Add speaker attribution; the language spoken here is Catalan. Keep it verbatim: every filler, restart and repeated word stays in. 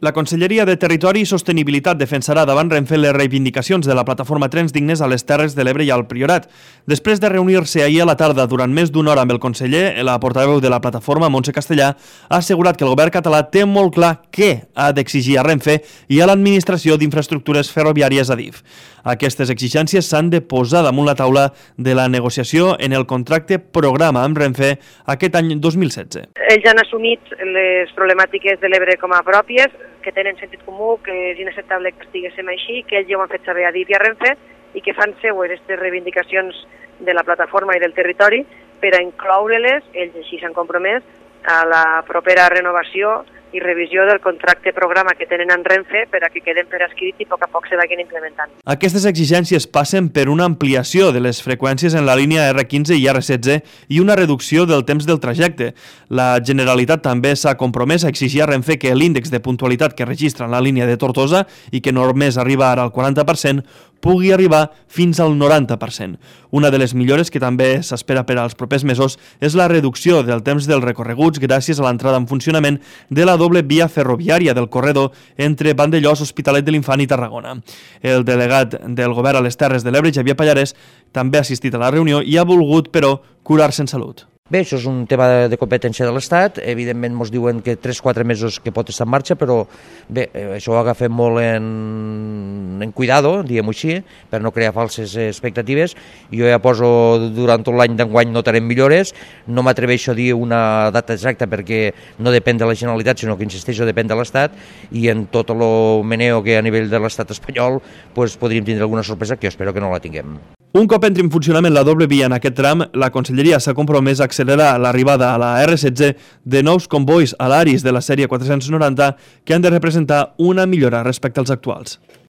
Speaker 1: La Conselleria de Territori i Sostenibilitat defensarà davant Renfe les reivindicacions de la plataforma Trens Dignes a les Terres de l'Ebre i al Priorat. Després de reunir-se ahir a la tarda durant més d'una hora amb el conseller, la portaveu de la plataforma, Montse Castellà, ha assegurat que el govern català té molt clar què ha d'exigir a Renfe i a l'Administració d'Infraestructures Ferroviàries a D I F. Aquestes exigències s'han de posar damunt la taula de la negociació en el contracte programa amb Renfe aquest any dos mil setze.
Speaker 2: Ells han assumit les problemàtiques de l'Ebre com a pròpies, que tenen sentit comú, que és inacceptable que estiguéssim així, que ells ja ho han fet saber a D I F i a Renfe i que fan seues aquestes reivindicacions de la plataforma i del territori per a incloure-les, ells així s'han compromès, a la propera renovació i revisió del contracte programa que tenen en Renfe per a que queden per escrit i a poc a poc se vagin implementant.
Speaker 1: Aquestes exigències passen per una ampliació de les freqüències en la línia R quinze i R setze i una reducció del temps del trajecte. La Generalitat també s'ha compromès a exigir a Renfe que l'índex de puntualitat que registra en la línia de Tortosa i que només arriba ara al quaranta per cent pugui arribar fins al noranta per cent. Una de les millores que també s'espera per als propers mesos és la reducció del temps dels recorreguts gràcies a l'entrada en funcionament de la doble via ferroviària del corredor entre Vandellòs, Hospitalet de l'Infant i Tarragona. El delegat del govern a les Terres de l'Ebre, Xavier Pallarès, també ha assistit a la reunió i ha volgut, però, curar-se en salut.
Speaker 3: Bé, això és un tema de competència de l'Estat, evidentment ens diuen que tres quatre mesos que pot estar en marxa, però bé, això ho agafem molt en, en cuidado, diguem-ho així, per no crear falses expectatives. Jo ja poso, durant tot l'any d'enguany notarem millores, no m'atreveixo a dir una data exacta perquè no depèn de la Generalitat, sinó que, insisteixo, depèn de l'Estat, i en tot el meneo que a nivell de l'Estat espanyol pues, podríem tindre alguna sorpresa, que jo espero que no la tinguem.
Speaker 1: Un cop entri en funcionament la doble via en aquest tram, la Conselleria s'ha compromès a accelerar l'arribada a la R setze de nous convois a l'Aris de la sèrie quatre-cents noranta que han de representar una millora respecte als actuals.